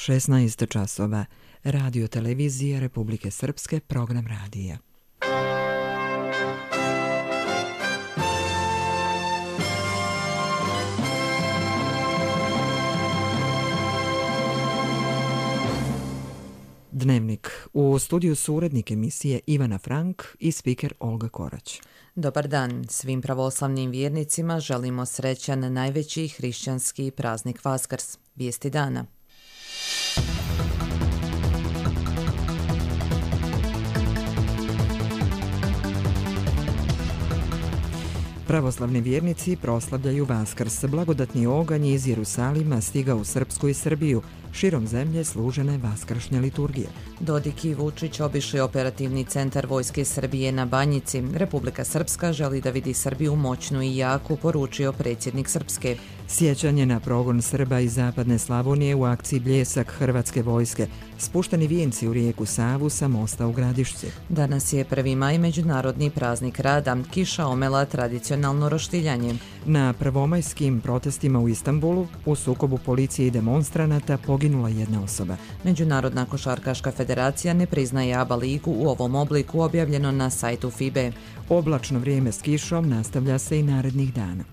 16 časova. Radio televizije Republike Srpske, program radija. Dnevnik. U studiju su urednik emisije Ivana Frank i spiker Olga Korać. Dobar dan. Svim pravoslavnim vjernicima želimo srećan najveći hrišćanski praznik Vaskrs. Vijesti dana. Pravoslavni vjernici proslavljaju Vaskrs. Blagodatni oganj iz Jerusalima stigao u Srpsku i Srbiju. Širom zemlje služene vaskršnje liturgije. Dodik i Vučić obišli operativni centar Vojske Srbije na Banjici. Republika Srpska želi da vidi Srbiju moćnu i jaku, poručio predsjednik Srpske. Sjećanje na progon Srba iz zapadne Slavonije u akciji Bljesak Hrvatske vojske. Spušteni vijenci u rijeku Savu sa mosta u Gradišci. Danas je 1. maj, međunarodni praznik rada. Kiša omela tradicionalno roštiljanje. Na prvomajskim protestima u Istanbulu u sukobu policije i demonstranata poginula jedna osoba. Međunarodna košarkaška federacija ne priznaje ABA ligu u ovom obliku, objavljeno na sajtu FIBE. Oblačno vrijeme s kišom nastavlja se i narednih dana.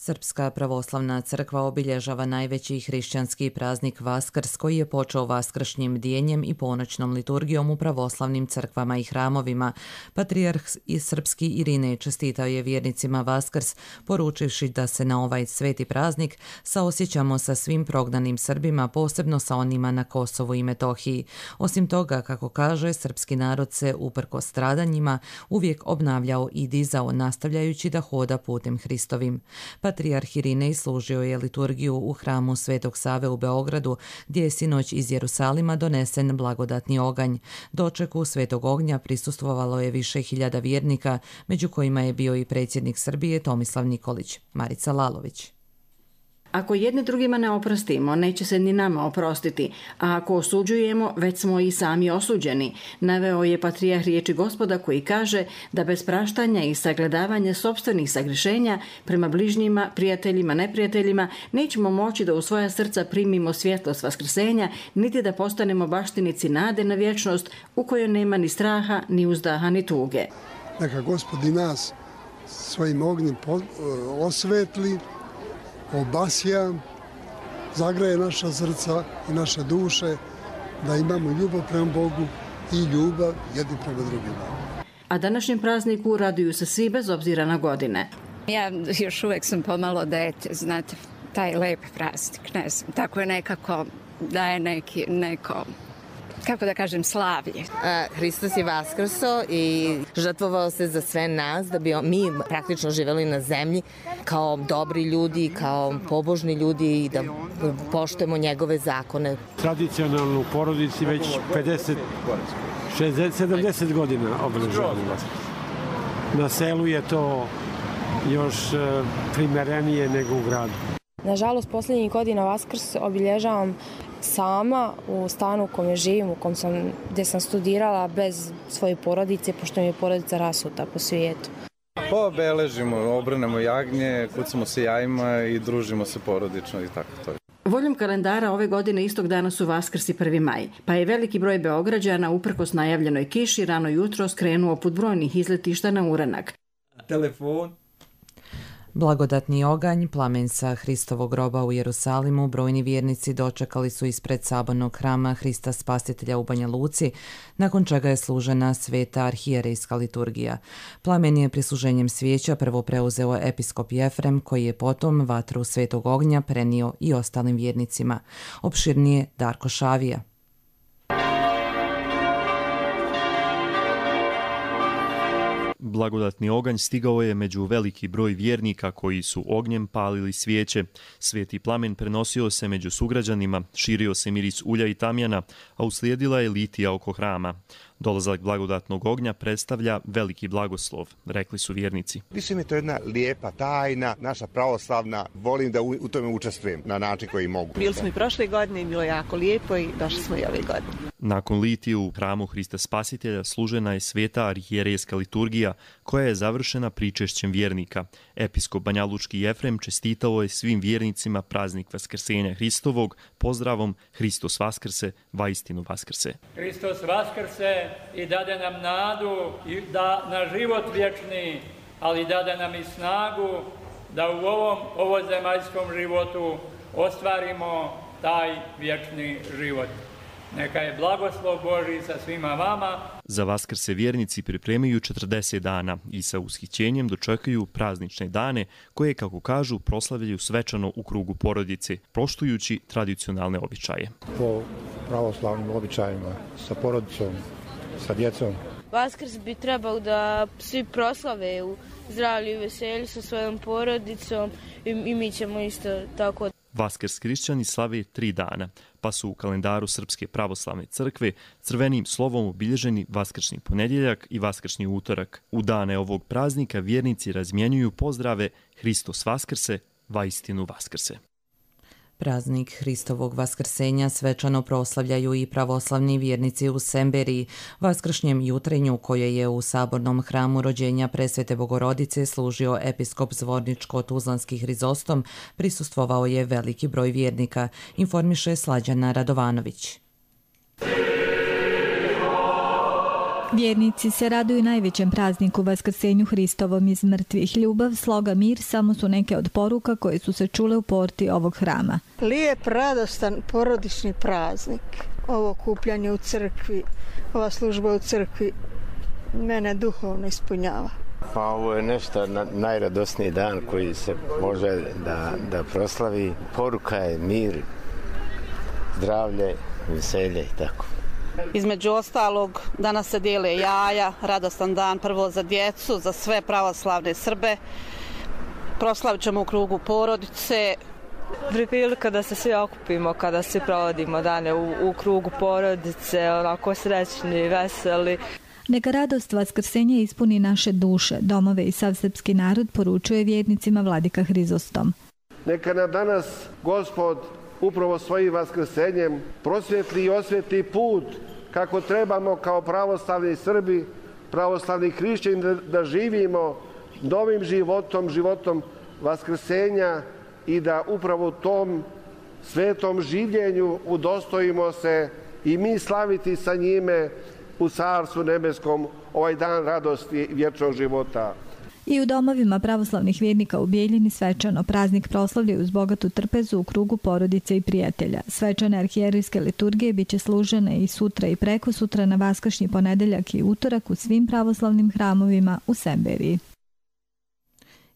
Srpska pravoslavna crkva obilježava najveći hrišćanski praznik Vaskrs, koji je počeo vaskršnjim bdijenjem i ponoćnom liturgijom u pravoslavnim crkvama i hramovima. Patrijarh srpski Irinej čestitao je vjernicima Vaskrs, poručivši da se na ovaj sveti praznik saosjećamo sa svim prognanim Srbima, posebno sa onima na Kosovu i Metohiji. Osim toga, kako kaže, srpski narod se uprkos stradanjima uvijek obnavljao i dizao, nastavljajući da hoda putem Hristovim. Patrijarh Irinej služio je liturgiju u hramu Svetog Save u Beogradu, gdje je sinoć iz Jerusalima donesen blagodatni oganj. Dočeku Svetog ognja prisustvovalo je više hiljada vjernika, među kojima je bio i predsjednik Srbije Tomislav Nikolić. Marica Lalović. Ako jedni drugima ne oprostimo, neće se ni nama oprostiti, a ako osuđujemo, već smo i sami osuđeni, naveo je patrijarh riječi Gospoda koji kaže da bez praštanja i sagledavanja sopstvenih sagrešenja prema bližnjima, prijateljima, neprijateljima, nećemo moći da u svoja srca primimo svjetlost vaskrsenja, niti da postanemo baštinici nade na vječnost u kojoj nema ni straha, ni uzdaha, ni tuge. Neka Gospod i nas svojim ognjem osvetli, obasja, zagraje naša srca i naše duše, da imamo ljubav prema Bogu i ljubav jedni prema drugima. A današnjem prazniku raduju se svi bez obzira na godine. Ja još uvijek sam pomalo dete, znate, taj lep praznik, ne znam, tako je nekako daje neko, kako da kažem, slavlje. Hristos je vaskrso i žrtvovao se za sve nas da bi mi praktično živjeli na zemlji kao dobri ljudi, kao pobožni ljudi i da poštujemo njegove zakone. Tradicionalno u porodici već 70 godina obeležavamo Vaskrs. Na selu je to još primerenije nego u gradu. Nažalost, posljednjih godina Vaskrs obilježavam sama u stanu u kojem živim, gdje sam studirala bez svoje porodice, pošto mi je porodica rasuta po svijetu. Obeležimo, obranemo jagnje, kucamo se jajima i družimo se porodično i tako to. Voljom kalendara ove godine istog dana su Vaskrs i 1. maj, pa je veliki broj Beograđana uprkos najavljenoj kiši rano jutro skrenuo put brojnih izletišta na uranak. Telefon. Blagodatni oganj, plamen sa Hristovog groba u Jerusalimu, brojni vjernici dočekali su ispred sabornog hrama Hrista Spasitelja u Banja Luci, nakon čega je služena sveta arhijerejska liturgija. Plamen je prisluženjem svijeća prvo preuzeo episkop Jefrem, koji je potom vatru svetog ognja prenio i ostalim vjernicima. Opširnije Darko Šavija. Blagodatni oganj stigao je među veliki broj vjernika koji su ognjem palili svijeće. Sveti plamen prenosio se među sugrađanima, širio se miris ulja i tamjana, a uslijedila je litija oko hrama. Dolazak blagodatnog ognja predstavlja veliki blagoslov, rekli su vjernici. Više mi je to jedna lijepa tajna, naša pravoslavna, volim da u tome učestvujem na način koji mogu. Bili smo i prošle godine i bilo je jako lijepo i došli smo i ove godine. Nakon litije u hramu Hrista Spasitelja služena je sveta arhijerejska liturgija koja je završena pričešćem vjernika. Episkop Banjalučki Jefrem čestitao je svim vjernicima praznik Vaskrsenja Hristovog pozdravom Hristos Vaskrse, vaistinu Vaskrse. Hristos Vaskrse i dade nam nadu i da na život vječni, ali dade nam i snagu da u ovom ovozemaljskom životu ostvarimo taj vječni život. Neka je blagoslov Božji sa svima vama. Za Vaskrs se vjernici pripremaju 40 dana i sa ushićenjem dočekaju praznične dane koje, kako kažu, proslavljaju svečano u krugu porodice, poštujući tradicionalne običaje. Po pravoslavnim običajima, sa porodicom, sa djecom. Vaskrs bi trebao da svi proslave u zdravlju i veselju sa svojom porodicom i mi ćemo isto tako. Vaskrs hrišćani slave 3 dana, pa su u kalendaru Srpske pravoslavne crkve crvenim slovom obilježeni Vaskršnji ponedjeljak i Vaskršnji utorak. U dane ovog praznika vjernici razmjenjuju pozdrave Hristos Vaskrse, vaistinu Vaskrse. Praznik Hristovog vaskrsenja svečano proslavljaju i pravoslavni vjernici u Semberiji. Vaskršnjem jutrenju koje je u sabornom hramu rođenja Presvete Bogorodice služio episkop Zvorničko-Tuzlanski Hrizostom, prisustvovao je veliki broj vjernika, informiše Slađana Radovanović. Vjernici se raduju najvećem prazniku Vaskrsenju Hristovom iz mrtvih. Ljubav, sloga, mir samo su neke od poruka koje su se čule u porti ovog hrama. Lijep, radostan, porodični praznik. Ovo okupljanje u crkvi, ova služba u crkvi mene duhovno ispunjava. Pa ovo je nešto najradosniji dan koji se može da proslavi. Poruka je mir, zdravlje, veselje i tako. Između ostalog, danas se dijele jaja, radostan dan prvo za djecu, za sve pravoslavne Srbe. Proslavit ćemo u krugu porodice. Prilika da se svi okupimo kada svi provodimo dane u krugu porodice, onako srećni, veseli. Neka radost Vaskrsenja ispuni naše duše, domove i sav srpski narod, poručuje vjernicima vladika Hrizostom. Neka nam danas Gospod upravo svojim vaskrsenjem prosvjetli i osvjetli put kako trebamo kao pravoslavni Srbi, pravoslavni hrišćani da živimo novim životom, životom vaskrsenja i da upravo u tom svetom življenju udostojimo se i mi slaviti sa njime u Carstvu nebeskom ovaj dan radosti vječnog života. I u domovima pravoslavnih vjernika u Bijeljini svečano praznik proslavljaju uz bogatu trpezu u krugu porodice i prijatelja. Svečane arhijerejske liturgije bit će služene i sutra i prekosutra na Vaskršnji ponedjeljak i utorak u svim pravoslavnim hramovima u Semberiji.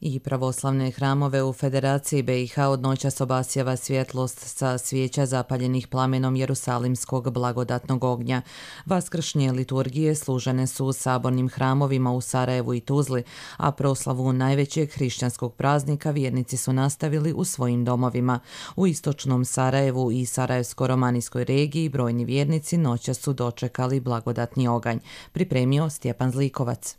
I pravoslavne hramove u Federaciji BiH od noćas obasjava svjetlost sa svijeća zapaljenih plamenom Jerusalimskog blagodatnog ognja. Vaskršnje liturgije služene su u sabornim hramovima u Sarajevu i Tuzli, a proslavu najvećeg hrišćanskog praznika vjernici su nastavili u svojim domovima. U istočnom Sarajevu i Sarajevsko-romanijskoj regiji brojni vjernici noćas su dočekali blagodatni oganj, pripremio Stjepan Zlikovac.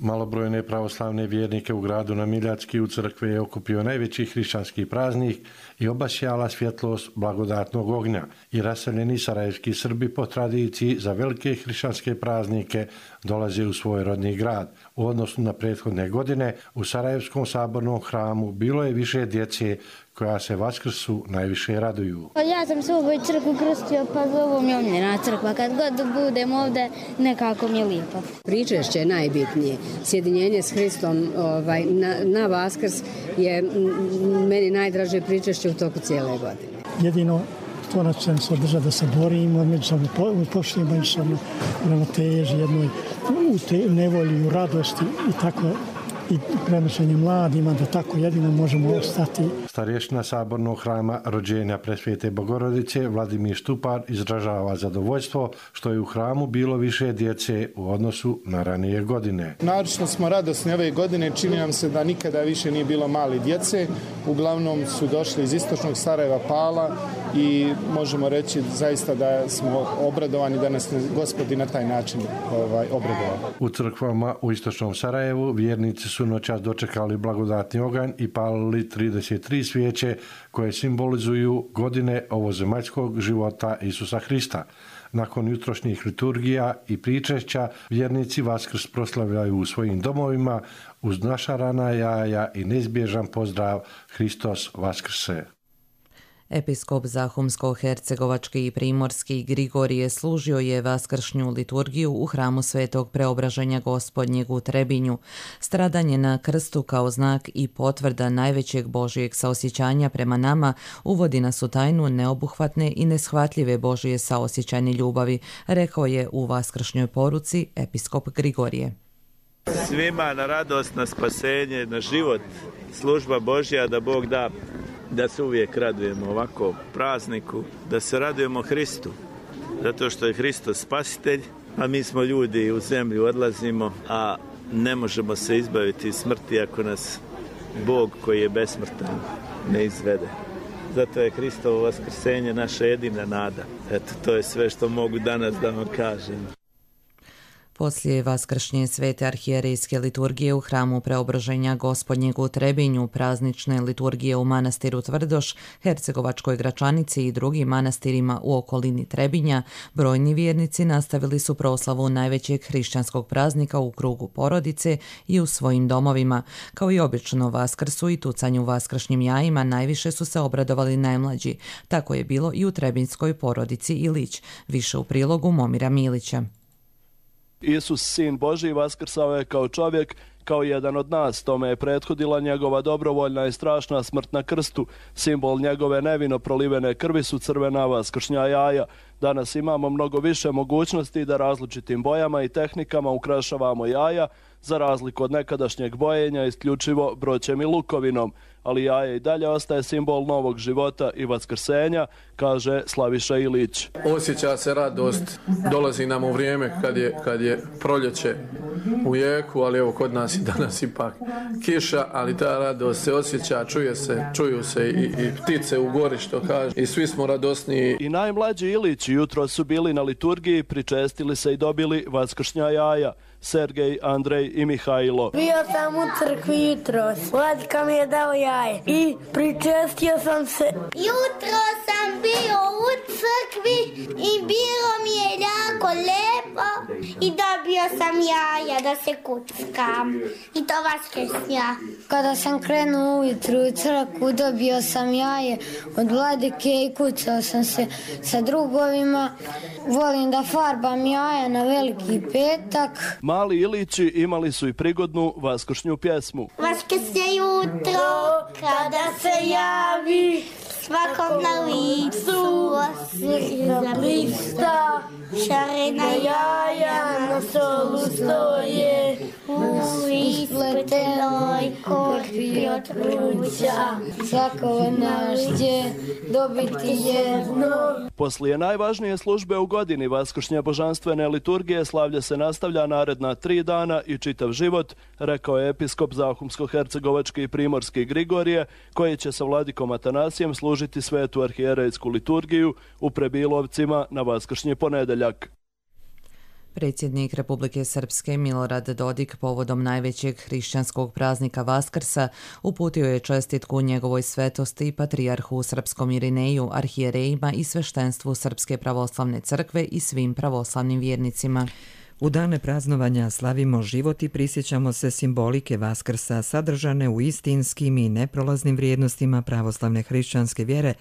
Malobrojne pravoslavne vjernike u gradu na Miljacki u crkvi je okupio najveći hrišćanski praznik i obasjala svjetlost blagodatnog ognja. I raseljeni sarajevski Srbi po tradiciji za velike hrišćanske praznike dolaze u svoj rodni grad. U odnosu na prethodne godine u Sarajevskom sabornom hramu bilo je više djece koja se Vaskrsu najviše raduju. Ja sam se u ovoj crkvi krstio, pa ovo mi je omiljena crkva. Kad god budem ovdje, nekako mi je lijepo. Pričešće je najbitnije. Sjedinjenje s Hristom na Vaskrs je meni najdraže pričešće u toku cijele godine. Jedino to nas će se održati da se borimo, međusobno poštujemo, međusobno ravnoteži jednoj u nevolji, u radosti i tako i prenošenje mladima, da tako jedino možemo ostati. Starješina sabornog hrama rođenja Presvete Bogorodice Vladimir Štupar izražava zadovoljstvo što je u hramu bilo više djece u odnosu na ranije godine. Naročito smo radosni ove godine, čini nam se da nikada više nije bilo mali djece. Uglavnom su došli iz istočnog Sarajeva, Pala, i možemo reći zaista da smo obradovani da nas Gospod i na taj način obradovao. U crkvama u istočnom Sarajevu vjernici su noćas dočekali blagodatni oganj i palili 33 svijeće koje simbolizuju godine ovozemaljskog života Isusa Hrista. Nakon jutrošnjih liturgija i pričešća vjernici Vaskrs proslavljaju u svojim domovima uz našarana jaja i neizbježan pozdrav Hristos Vaskrse. Episkop Zahumsko-hercegovački i primorski Grigorije služio je vaskršnju liturgiju u hramu Svetog Preobraženja Gospodnjeg u Trebinju. Stradanje na krstu kao znak i potvrda najvećeg Božijeg saosjećanja prema nama uvodi nas u tajnu neobuhvatne i neshvatljive Božije saosjećajne ljubavi, rekao je u vaskršnjoj poruci episkop Grigorije. Svima na radost, na spasenje, na život, služba Božja da Bog da. Da se uvijek radujemo ovako prazniku, da se radujemo Hristu, zato što je Hristos spasitelj, a mi smo ljudi u zemlju odlazimo, a ne možemo se izbaviti iz smrti ako nas Bog koji je besmrtan ne izvede. Zato je Hristovo vaskrsenje naša jedina nada. Eto, to je sve što mogu danas da vam kažem. Poslije vaskršnje svete arhijerejske liturgije u hramu Preobraženja Gospodnjeg u Trebinju, praznične liturgije u manastiru Tvrdoš, Hercegovačkoj Gračanici i drugim manastirima u okolini Trebinja, brojni vjernici nastavili su proslavu najvećeg hrišćanskog praznika u krugu porodice i u svojim domovima. Kao i obično Vaskrsu i tucanju vaskršnjim jajima najviše su se obradovali najmlađi. Tako je bilo i u trebinjskoj porodici Ilić. Više u prilogu Momira Milića. Isus, sin Božji, vaskrsao je kao čovjek, kao jedan od nas. Tome je prethodila njegova dobrovoljna i strašna smrt na krstu. Simbol njegove nevino prolivene krvi su crvena vaskršnja jaja. Danas imamo mnogo više mogućnosti da različitim bojama i tehnikama ukrašavamo jaja, za razliku od nekadašnjeg bojenja isključivo broćem i lukovinom. Ali jaje i dalje ostaje simbol novog života i vaskrsenja, kaže Slaviša Ilić. Osjeća se radost, dolazi nam u vrijeme kad je proljeće u jeku, ali evo kod nas i danas ipak kiša, ali ta radost se osjeća, čuju se i ptice u gori, što kaže, i svi smo radosniji. I najmlađi Ilići jutro su bili na liturgiji, pričestili se i dobili vaskršnja jaja. Sergej, Andrej i Mihajlo. Bio sam u crkvi jutros, Vladika mi je dao jaje i pričestio sam se. Jutro sam bio u crkvi i bilo mi je jako lepo i dobio sam jaja da se kuckam i to vaskršnja. Kada sam krenuo ujutru u crkvu dobio sam jaje od Vladike i kucao sam se sa drugovima. Volim da farbam jaja na Veliki petak. Mali Ilići imali su i prigodnu vaskršnju pjesmu. Vaskrsnje jutro, kada se javi, svakom na licu osjeća blista. Šarena jaja na stolu stoje, u ispletenoj korpi od ruća. Svako naš će dobiti jedno. Poslije najvažnije službe u godini vaskršnje božanstvene liturgije slavlje se nastavlja naredna 3 dana i čitav život, rekao je episkop Zahumsko-hercegovački i primorski Grigorije, koji će sa vladikom Atanasijem služiti svetu arhijerejsku liturgiju u Prebilovcima na vaskršnji ponedeljak. Predsjednik Republike Srpske Milorad Dodik povodom najvećeg hrišćanskog praznika Vaskrsa uputio je čestitku njegovoj svetosti i patrijarhu Srpskom Irineju, arhijerejima i sveštenstvu Srpske pravoslavne crkve i svim pravoslavnim vjernicima. U dane praznovanja slavimo život i prisjećamo se simbolike Vaskrsa sadržane u istinskim i neprolaznim vrijednostima pravoslavne hrišćanske vjere,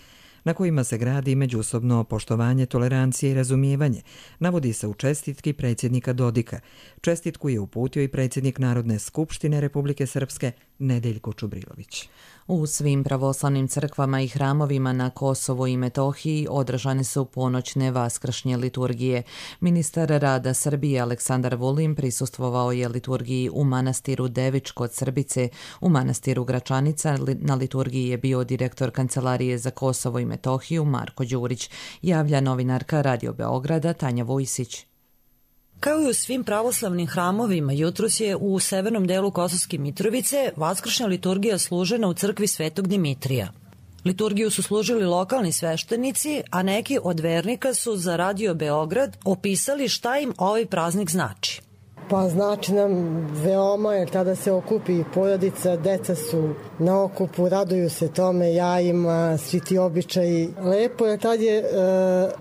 na kojima se gradi međusobno poštovanje, tolerancije i razumijevanje, navodi se u čestitki predsjednika Dodika. Čestitku je uputio i predsjednik Narodne skupštine Republike Srpske Nedeljko Čubrilović. U svim pravoslavnim crkvama i hramovima na Kosovu i Metohiji održane su ponoćne vaskršnje liturgije. Ministar rada Srbije Aleksandar Vulin prisustvovao je liturgiji u manastiru Devič kod Srbice. U manastiru Gračanica na liturgiji je bio direktor Kancelarije za Kosovo i Metohiju Marko Đurić. Javlja novinarka Radio Beograda Tanja Vojsić. Kao i u svim pravoslavnim hramovima, jutros je u severnom delu Kosovske Mitrovice vaskršnja liturgija služena u crkvi Svetog Dimitrija. Liturgiju su služili lokalni sveštenici, a neki od vernika su za Radio Beograd opisali šta im ovaj praznik znači. Pa znači nam veoma, jer tada se okupi porodica, deca su na okupu, raduju se tome, jajima, svi ti običaji. Lepo je, tad je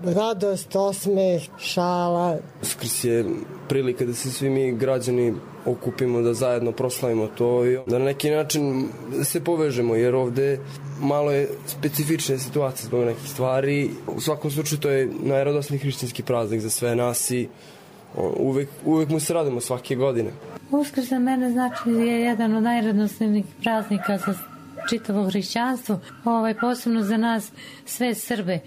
radost, osmeh, šala. Uskrs je prilika da se svi mi građani okupimo, da zajedno proslavimo to i da na neki način se povežemo, jer ovde malo je specifične situacije zbog nekih stvari. U svakom slučaju to je najradosniji hrišćanski praznik za sve nas i uvek mu se radimo svake godine. Uskrs za mene znači je jedan od najradosnijih praznika za čitavo hrišćanstvo, posebno za nas sve Srbe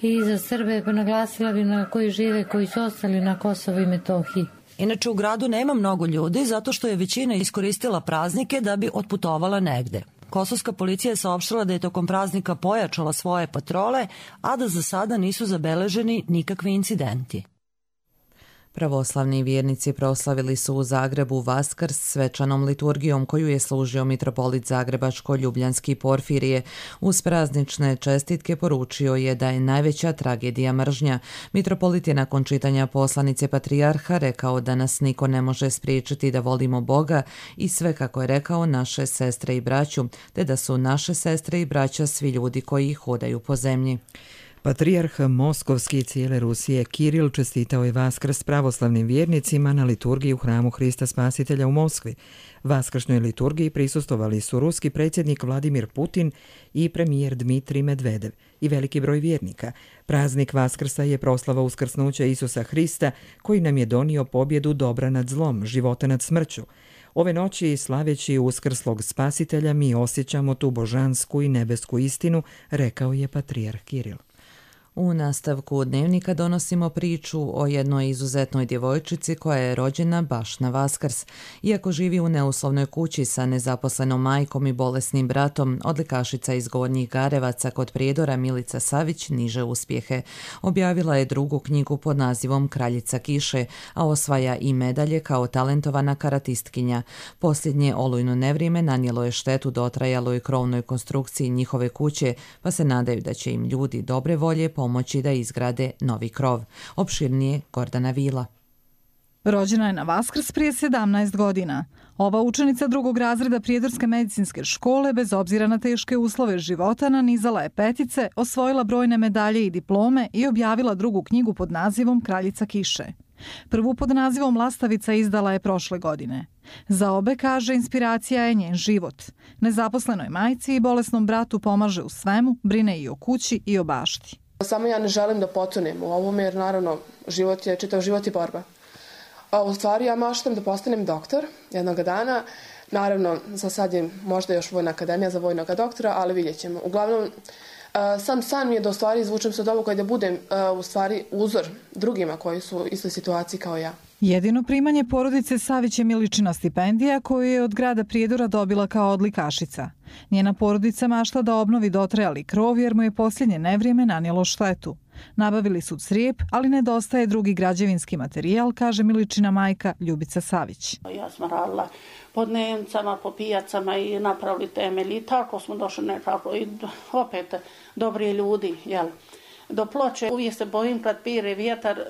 i za Srbe naglasila bi na koji žive, koji su ostali na Kosovu i Metohiji. Inače u gradu nema mnogo ljudi zato što je većina iskoristila praznike da bi otputovala negde. Kosovska policija je saopštila da je tokom praznika pojačala svoje patrole, a da za sada nisu zabeleženi nikakvi incidenti. Pravoslavni vjernici proslavili su u Zagrebu Vaskrs svečanom liturgijom koju je služio mitropolit Zagrebačko-Ljubljanski Porfirije. Uz praznične čestitke poručio je da je najveća tragedija mržnja. Mitropolit je nakon čitanja poslanice patrijarha rekao da nas niko ne može spriječiti da volimo Boga i sve, kako je rekao, naše sestre i braću, te da su naše sestre i braća svi ljudi koji hodaju po zemlji. Patrijarh Moskovski i cijele Rusije Kiril čestitao je Vaskrs pravoslavnim vjernicima na liturgiji u hramu Hrista Spasitelja u Moskvi. Vaskršnjoj liturgiji prisustvovali su ruski predsjednik Vladimir Putin i premijer Dmitrij Medvedev i veliki broj vjernika. Praznik Vaskrsa je proslava uskrsnuća Isusa Hrista koji nam je donio pobjedu dobra nad zlom, života nad smrću. Ove noći, slaveći uskrslog Spasitelja, mi osjećamo tu božansku i nebesku istinu, rekao je patrijarh Kiril. U nastavku dnevnika donosimo priču o jednoj izuzetnoj djevojčici koja je rođena baš na Vaskrs. Iako živi u neuslovnoj kući sa nezaposlenom majkom i bolesnim bratom, odlikašica iz Gornjih Garevaca kod Prijedora Milica Savić niže uspjehe. Objavila je drugu knjigu pod nazivom Kraljica kiše, a osvaja i medalje kao talentovana karatistkinja. Posljednje olujno nevrijeme nanijelo je štetu dotrajaloj krovnoj konstrukciji njihove kuće, pa se nadaju da će im ljudi dobre volje pomoći da izgrade novi krov. Opširnije Gordana Vila. Rođena je na Vaskrs prije 17 godina. Ova učenica drugog razreda Prijedorske medicinske škole, bez obzira na teške uslove života, nanizala je petice, osvojila brojne medalje i diplome i objavila drugu knjigu pod nazivom Kraljica kiše. Prvu pod nazivom Lastavica izdala je prošle godine. Za obe, kaže, inspiracija je njen život. Nezaposlenoj majci i bolesnom bratu pomaže u svemu, brine i o kući i o bašti. Samo ja ne želim da potonem u ovome, jer naravno čitav život je borba. U stvari ja maštam da postanem doktor jednog dana. Naravno, za sad je možda još Vojna akademija za vojnog doktora, ali vidjet ćemo. Uglavnom, sam san mi je da u stvari izvučem se od ovoga i da budem u stvari uzor drugima koji su u istoj situaciji kao ja. Jedino primanje porodice Savić je Miličina stipendija koju je od grada Prijedora dobila kao odlikašica. Njena porodica mašta da obnovi dotrajali krov jer mu je posljednje nevrijeme nanijelo štetu. Nabavili su crijep, ali nedostaje drugi građevinski materijal, kaže Miličina majka Ljubica Savić. Ja sam radila po dnevnicama, po pijacama i napravili temelj i tako smo došli nekako i opet dobri ljudi, jel? Do ploče uvijek se bojim kad pire vjetar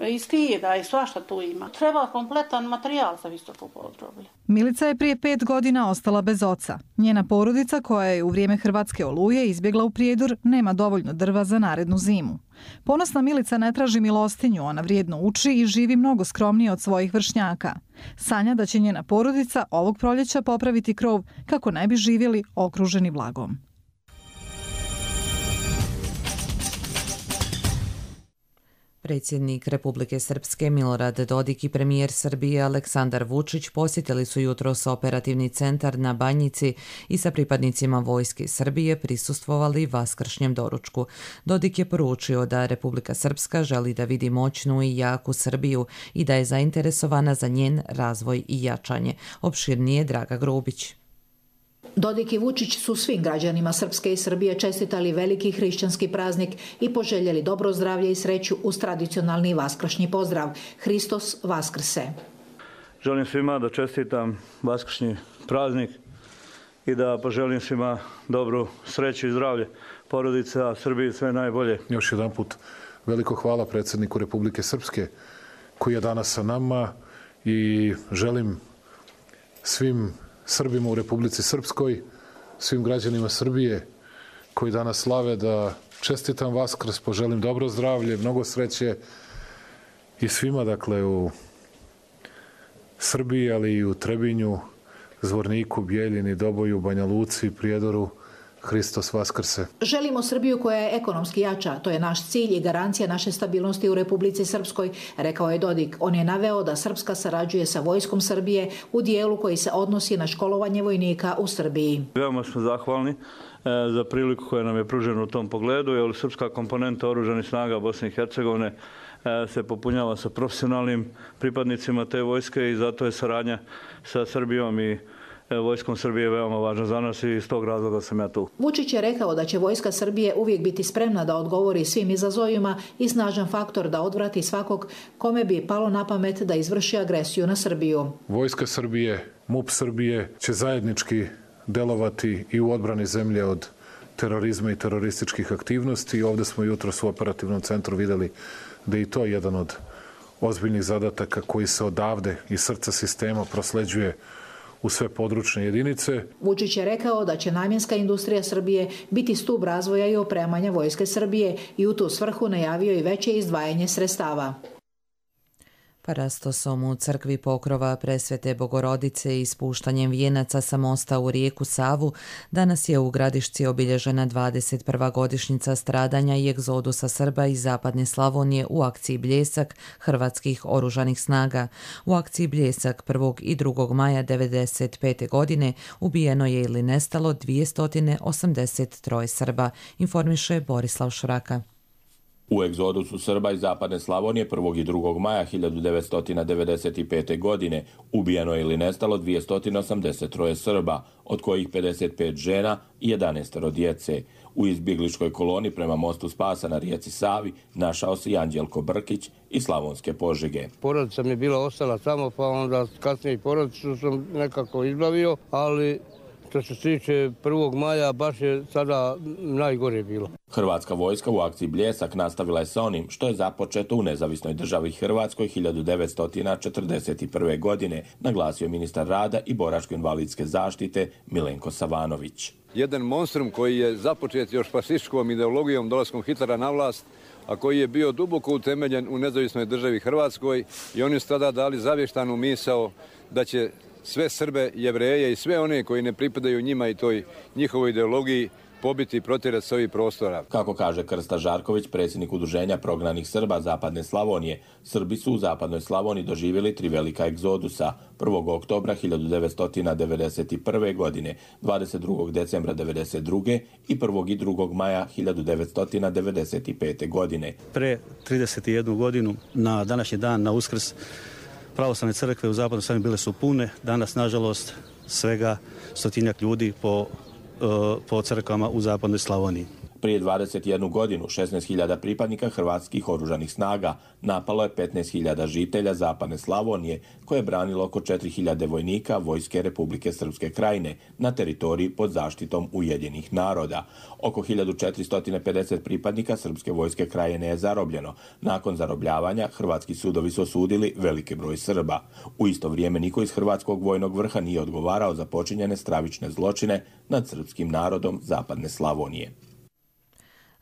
i skijeda i svašta tu ima. Treba kompletan materijal za visoko podroblje. Milica je prije 5 godina ostala bez oca. Njena porodica, koja je u vrijeme hrvatske oluje izbjegla u Prijedor, nema dovoljno drva za narednu zimu. Ponosna Milica ne traži milostinju, ona vrijedno uči i živi mnogo skromnije od svojih vršnjaka. Sanja da će njena porodica ovog proljeća popraviti krov kako ne bi živjeli okruženi blagom. Predsjednik Republike Srpske Milorad Dodik i premijer Srbije Aleksandar Vučić posjetili su jutros operativni centar na Banjici i sa pripadnicima vojske Srbije prisustvovali vaskršnjem doručku. Dodik je poručio da Republika Srpska želi da vidi moćnu i jaku Srbiju i da je zainteresovana za njen razvoj i jačanje. Opširnije Draga Grubić. Dodik i Vučić su svim građanima Srpske i Srbije čestitali veliki hrišćanski praznik i poželjeli dobro zdravlje i sreću uz tradicionalni vaskršnji pozdrav Hristos Vaskrse. Želim svima da čestitam vaskršnji praznik i da poželim svima dobru sreću i zdravlje porodice, a Srbiji sve najbolje. Još jedan put veliko hvala predsjedniku Republike Srpske koji je danas sa nama i želim svim Srbima u Republici Srpskoj, svim građanima Srbije koji danas slave da čestitam Vaskrs, poželim dobro zdravlje, mnogo sreće i svima, dakle, u Srbiji, ali i u Trebinju, Zvorniku, Bijeljini, Doboju, Banja Luci, Prijedoru. Hristos Vaskrse. Želimo Srbiju koja je ekonomski jača. To je naš cilj i garancija naše stabilnosti u Republici Srpskoj, rekao je Dodik. On je naveo da Srpska sarađuje sa vojskom Srbije u dijelu koji se odnosi na školovanje vojnika u Srbiji. Veoma smo zahvalni za priliku koja nam je pružena u tom pogledu, jer srpska komponenta oružanih snaga Bosne i Hercegovine se popunjava sa profesionalnim pripadnicima te vojske i zato je saradnja sa Srbijom i vojskom Srbije veoma važna za nas i iz tog razloga sam ja tu. Vučić je rekao da će vojska Srbije uvijek biti spremna da odgovori svim izazovima i snažan faktor da odvrati svakog kome bi palo na pamet da izvrši agresiju na Srbiju. Vojska Srbije, MUP Srbije će zajednički delovati i u odbrani zemlje od terorizma i terorističkih aktivnosti. Ovdje smo jutros u operativnom centru vidjeli da je i to jedan od ozbiljnih zadataka koji se odavde iz srca sistema prosleđuje u sve područne jedinice. Vučić je rekao da će namjenska industrija Srbije biti stub razvoja i opremanja vojske Srbije i u tu svrhu najavio i veće izdvajanje sredstava. Parastosom u crkvi Pokrova Presvete Bogorodice i spuštanjem vijenaca sa mosta u rijeku Savu danas je u Gradišci obilježena 21. godišnjica stradanja i egzodusa Srba iz zapadne Slavonije u akciji Bljesak hrvatskih oružanih snaga. U akciji Bljesak 1. i 2. maja 1995. godine ubijeno je ili nestalo 283 Srba, informiše Borislav Šraka. U egzodusu Srba iz zapadne Slavonije 1. i 2. maja 1995. godine ubijeno je ili nestalo 283 Srba, od kojih 55 žena i 11 djece. U izbjegličkoj koloni prema mostu Spasa na rijeci Savi našao se Anđelko Brkić iz Slavonske Požege. Porodica mi je bila ostala samo, pa onda kasnije i porodicu sam nekako izbavio, ali što se tiče 1. maja baš je sada najgore bilo. Hrvatska vojska u akciji Bljesak nastavila je sa onim što je započeto u nezavisnoj državi Hrvatskoj 1941. godine, naglasio ministar rada i boračko-invalidske zaštite Milenko Savanović. Jedan monstrum koji je započet još fašističkom ideologijom dolaskom Hitlera na vlast, a koji je bio duboko utemeljen u nezavisnoj državi Hrvatskoj i oni su tada dali zavještanu misao da će sve Srbe, Jevreje i sve one koji ne pripadaju njima i toj njihovoj ideologiji pobiti i protjerati s ovih prostora. Kako kaže Krsta Žarković, predsjednik udruženja prognanih Srba Zapadne Slavonije, Srbi su u Zapadnoj Slavoniji doživjeli 3 velika egzodusa. 1. oktobra 1991. godine, 22. decembra 1992. i 1. i 2. maja 1995. godine. Pre 31 godinu na današnji dan, na Uskrs, pravoslavne crkve u Zapadnoj Slavoniji bile su pune. Danas, nažalost, svega 100-tinjak ljudi po crkvama u Zapadnoj Slavoniji. Prije 21 godinu 16.000 pripadnika hrvatskih oružanih snaga napalo je 15.000 žitelja Zapadne Slavonije koje je branilo oko 4.000 vojnika Vojske Republike Srpske Krajine na teritoriji pod zaštitom Ujedinjenih naroda. Oko 1450 pripadnika Srpske vojske Krajine je zarobljeno. Nakon zarobljavanja hrvatski sudovi su osudili veliki broj Srba. U isto vrijeme niko iz hrvatskog vojnog vrha nije odgovarao za počinjene stravične zločine nad srpskim narodom Zapadne Slavonije.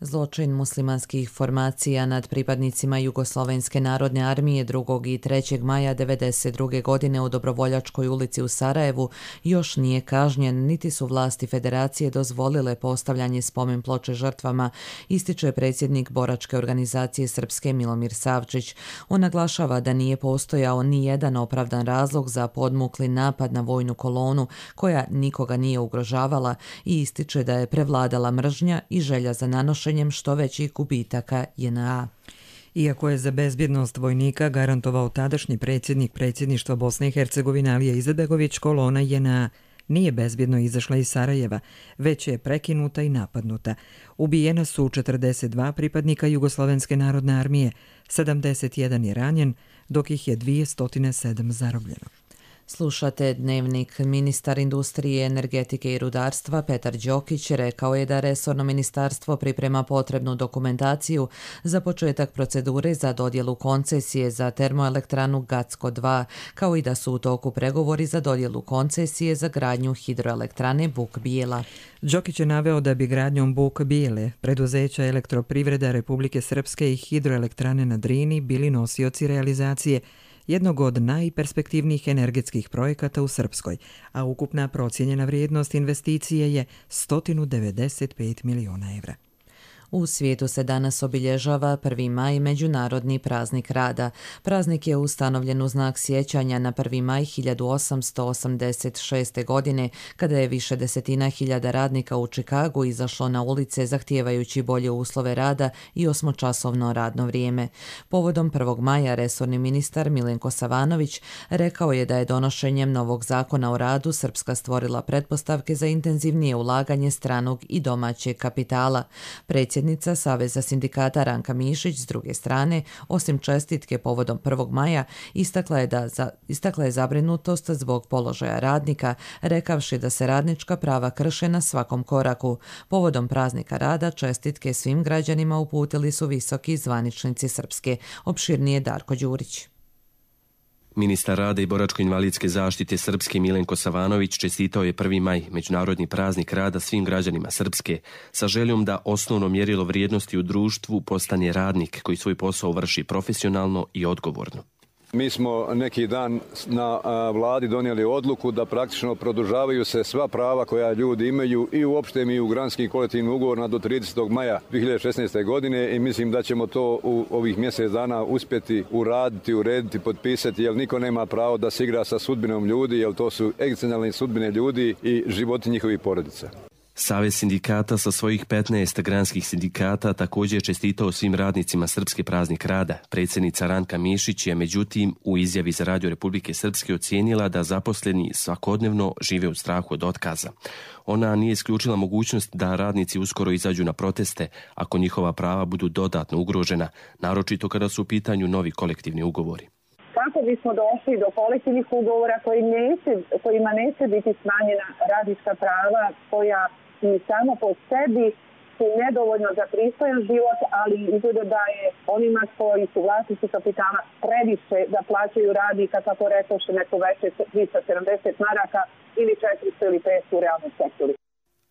Zločin muslimanskih formacija nad pripadnicima Jugoslovenske narodne armije 2. i 3. maja 1992. godine u Dobrovoljačkoj ulici u Sarajevu još nije kažnjen, niti su vlasti federacije dozvolile postavljanje spomen ploče žrtvama, ističe predsjednik boračke organizacije Srpske Milomir Savčić. On naglašava da nije postojao ni jedan opravdan razlog za podmukli napad na vojnu kolonu koja nikoga nije ugrožavala i ističe da je prevladala mržnja i želja za nanošenje što većih gubitaka JNA. Iako je za bezbjednost vojnika garantovao tadašnji predsjednik predsjedništva Bosne i Hercegovine Alija Izetbegović, kolona JNA nije bezbjedno izašla iz Sarajeva, već je prekinuta i napadnuta. Ubijena su 42 pripadnika Jugoslovenske narodne armije, 71 je ranjen, dok ih je 207 zarobljeno. Slušate Dnevnik. Ministar industrije, energetike i rudarstva Petar Đokić rekao je da resorno ministarstvo priprema potrebnu dokumentaciju za početak procedure za dodjelu koncesije za termoelektranu Gacko 2, kao i da su u toku pregovori za dodjelu koncesije za gradnju hidroelektrane Buk Bijela. Đokić je naveo da bi gradnjom Buk Bijele preduzeća Elektroprivreda Republike Srpske i hidroelektrane na Drini bili nosioci realizacije jednog od najperspektivnijih energetskih projekata u Srpskoj, a ukupna procijenjena vrijednost investicije je 195 miliona evra. U svijetu se danas obilježava 1. maj, Međunarodni praznik rada. Praznik je ustanovljen u znak sjećanja na 1. maj 1886. godine, kada je više desetina hiljada radnika u Čikagu izašlo na ulice zahtijevajući bolje uslove rada i 8-časovno radno vrijeme. Povodom 1. maja resorni ministar Milenko Savanović rekao je da je donošenjem novog zakona o radu Srpska stvorila pretpostavke za intenzivnije ulaganje stranog i domaćeg kapitala. Predsjednica Saveza sindikata Ranka Mišić s druge strane, osim čestitke povodom 1. maja, istakla je zabrinutost zbog položaja radnika, rekavši da se radnička prava krše na svakom koraku. Povodom praznika rada čestitke svim građanima uputili su visoki zvaničnici Srpske. Opširnije Darko Đurić. Ministar rada i boračko-invalidske zaštite Srpske Milenko Savanović čestitao je 1. maj, Međunarodni praznik rada, svim građanima Srpske, sa željom da osnovno mjerilo vrijednosti u društvu postane radnik koji svoj posao vrši profesionalno i odgovorno. Mi smo neki dan na vladi donijeli odluku da praktično produžavaju se sva prava koja ljudi imaju i u opštem i u granskim kolektivnim ugovorima do 30. maja 2016. godine i mislim da ćemo to u ovih mjesec dana uspjeti uraditi, urediti, potpisati, jer niko nema pravo da se igra sa sudbinom ljudi, jer to su egzistencijalne sudbine ljudi i životi njihovih porodica. Savez sindikata sa svojih 15 granskih sindikata također je čestitao svim radnicima Srpske praznik rada. Predsjednica Ranka Mišić je međutim u izjavi za Radio Republike Srpske ocijenila da zaposleni svakodnevno žive u strahu od otkaza. Ona nije isključila mogućnost da radnici uskoro izađu na proteste ako njihova prava budu dodatno ugrožena, naročito kada su u pitanju novi kolektivni ugovori. Kako bismo došli do kolektivnih ugovora kojima neće biti smanjena radnička prava koja i samo po sebi su nedovoljno za pristojan život, ali izgleda da je onima koji su vlasnici kapitala previše da plaćaju radnika, kako rekoše, neko veće 370 maraka ili 400 ili 500 u realnom sektoru.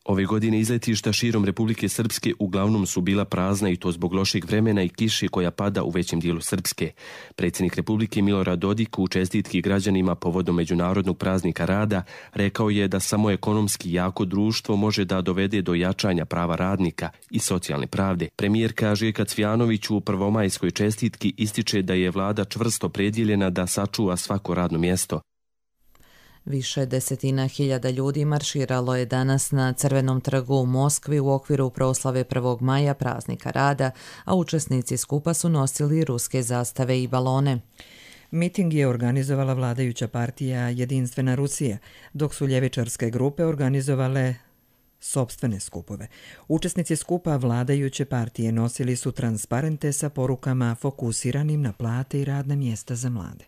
Ove godine izletišta širom Republike Srpske uglavnom su bila prazna i to zbog lošeg vremena i kiše koja pada u većem dijelu Srpske. Predsjednik Republike Milorad Dodik u čestitki građanima povodom Međunarodnog praznika rada rekao je da samo ekonomski jako društvo može da dovede do jačanja prava radnika i socijalne pravde. Premijerka Željka Cvijanović u prvomajskoj čestitki ističe da je vlada čvrsto predjeljena da sačuva svako radno mjesto. Više desetina hiljada ljudi marširalo je danas na Crvenom trgu u Moskvi u okviru proslave 1. maja praznika rada, a učesnici skupa su nosili ruske zastave i balone. Miting je organizovala vladajuća partija Jedinstvena Rusija, dok su ljevičarske grupe organizovale sopstvene skupove. Učesnici skupa vladajuće partije nosili su transparente sa porukama fokusiranim na plate i radna mjesta za mlade.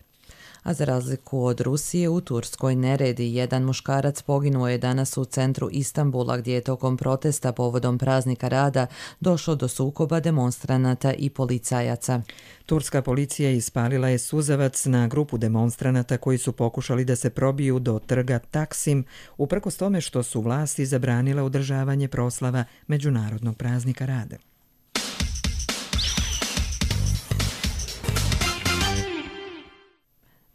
A za razliku od Rusije, u Turskoj neredi. Jedan muškarac poginuo je danas u centru Istanbula, gdje je tokom protesta povodom praznika rada došlo do sukoba demonstranata i policajaca. Turska policija ispalila je suzavac na grupu demonstranata koji su pokušali da se probiju do trga Taksim, uprkos tome što su vlasti zabranile održavanje proslava Međunarodnog praznika rada.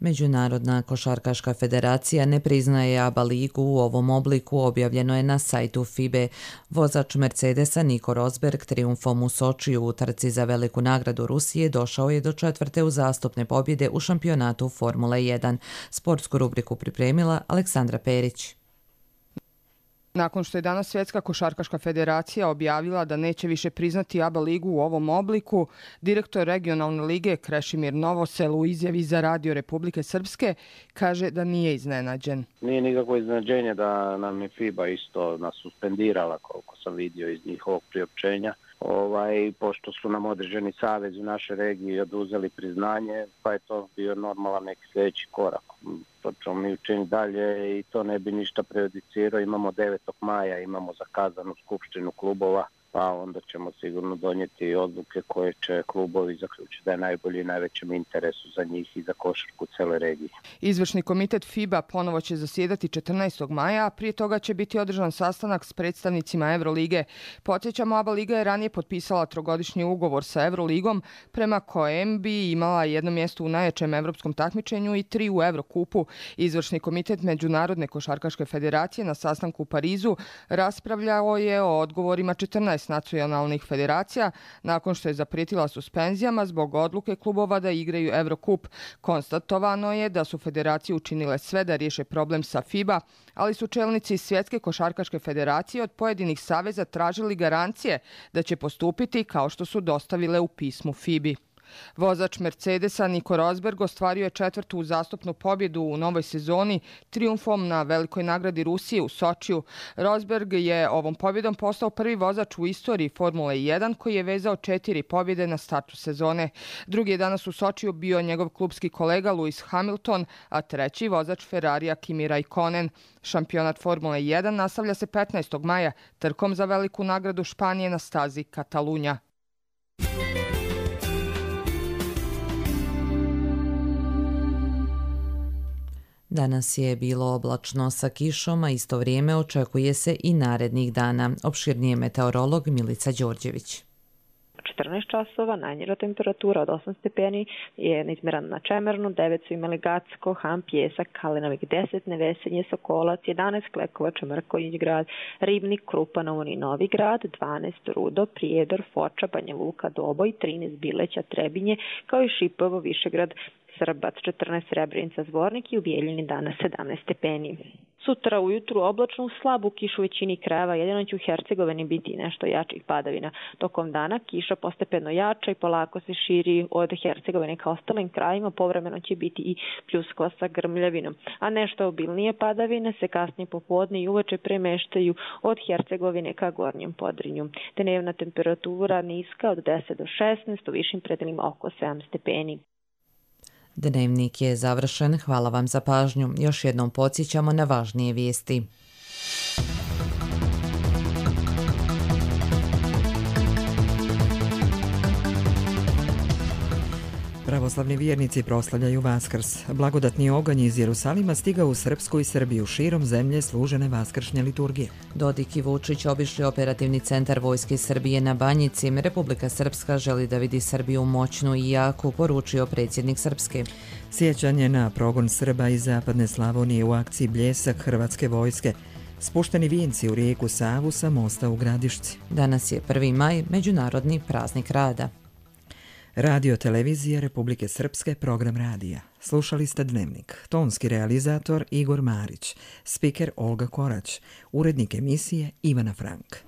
Međunarodna košarkaška federacija ne priznaje ABA ligu u ovom obliku, objavljeno je na sajtu FIBE. Vozač Mercedesa Nico Rosberg trijumfom u Sočiju u trci za veliku nagradu Rusije došao je do 4. uzastopne pobjede u šampionatu Formule 1. Sportsku rubriku pripremila Aleksandra Perić. Nakon što je danas Svjetska košarkaška federacija objavila da neće više priznati ABA ligu u ovom obliku, direktor regionalne lige Krešimir Novosel u izjavi za Radio Republike Srpske kaže da nije iznenađen. Nije nikakvo iznenađenje da nam je FIBA isto nas suspendirala, koliko sam vidio iz njihovog priopćenja. Pošto su nam određeni savez u našoj regiji oduzeli priznanje, pa je to bio normalan neki sljedeći korak. što ćemo mi učiniti dalje i to ne bi ništa prejudicirao. Imamo 9. maja, imamo zakazanu skupštinu klubova, pa onda ćemo sigurno donijeti odluke koje će klubovi zaključiti da je najbolji i najvećem interesu za njih i za košarku cele regije. Izvršni komitet FIBA ponovo će zasjedati 14. maja, a prije toga će biti održan sastanak s predstavnicima Evrolige. Podsjećamo, ABA Liga je ranije potpisala trogodišnji ugovor sa Evroligom, prema kojem bi imala jedno mjesto u najjačem evropskom takmičenju i 3 u Evrokupu. Izvršni komitet Međunarodne košarkaške federacije na sastanku u Parizu raspravljao je o odgovorima 14 nacionalnih federacija nakon što je zaprijetila suspenzijama zbog odluke klubova da igraju Evrokup. Konstatovano je da su federacije učinile sve da riješe problem sa FIBA, ali su čelnici Svjetske košarkaške federacije od pojedinih saveza tražili garancije da će postupiti kao što su dostavile u pismu FIBI. Vozač Mercedesa Nico Rosberg ostvario je 4. uzastopnu pobjedu u novoj sezoni trijumfom na velikoj nagradi Rusije u Sočiju. Rosberg je ovom pobjedom postao prvi vozač u istoriji Formule 1 koji je vezao 4 pobjede na startu sezone. Drugi je danas u Sočiju bio njegov klubski kolega Lewis Hamilton, a treći vozač Ferrarija Kimi Raikkonen. Šampionat Formule 1 nastavlja se 15. maja trkom za veliku nagradu Španije na stazi Katalunja. Danas je bilo oblačno sa kišom, a isto vrijeme očekuje se i narednih dana. Opširnije meteorolog Milica Đorđević. 14 časova, najniža temperatura od 8 stepeni je izmjerena na Čemernu, 9 su imali Gacko, Han, Pjesak, Kalinovik 10, Nevesenje, Sokolac, 11 Klekovača, Mrkonjić grad, Ribnik, Krupanovo i Novi grad, 12 Rudo, Prijedor, Foča, Banja Luka, Doboj, 13 Bileća, Trebinje, kao i Šipovo, Višegrad, Srbac, 14 Srebrenica, Zvornik i u Bijeljini danas 17 stepeni. Sutra ujutru oblačno u slabu kišu u većini krajeva, jedino će u Hercegovini biti nešto jačih padavina. Tokom dana kiša postepeno jača i polako se širi od Hercegovine ka ostalim krajima, povremeno će biti i pljuskova sa grmljavinom. A nešto obilnije padavine se kasnije popodne i uveče premeštaju od Hercegovine ka Gornjem Podrinju. Dnevna temperatura niska od 10 do 16, u višim predelima oko 7 stepeni. Dnevnik je završen, hvala vam za pažnju. Još jednom podsjećamo na važnije vijesti. Pravoslavni vjernici proslavljaju Vaskrs. Blagodatni oganj iz Jerusalima stigao u Srpsku i Srbiju. Širom zemlje služene vaskršnje liturgije. Dodik i Vučić obišli operativni centar Vojske Srbije na Banjici. Republika Srpska želi da vidi Srbiju moćnu i jaku, poručio predsjednik Srpske. Sjećanje na progon Srba iz Zapadne Slavonije u akciji Bljesak Hrvatske vojske. Spušteni vijenci u rijeku Savu sa mosta u Gradišci. Danas je 1. maj, Međunarodni praznik rada. Radio televizija Republike Srpske, program radija. Slušali ste Dnevnik. Tonski realizator Igor Marić. Spiker Olga Korać. Urednik emisije Ivana Frank.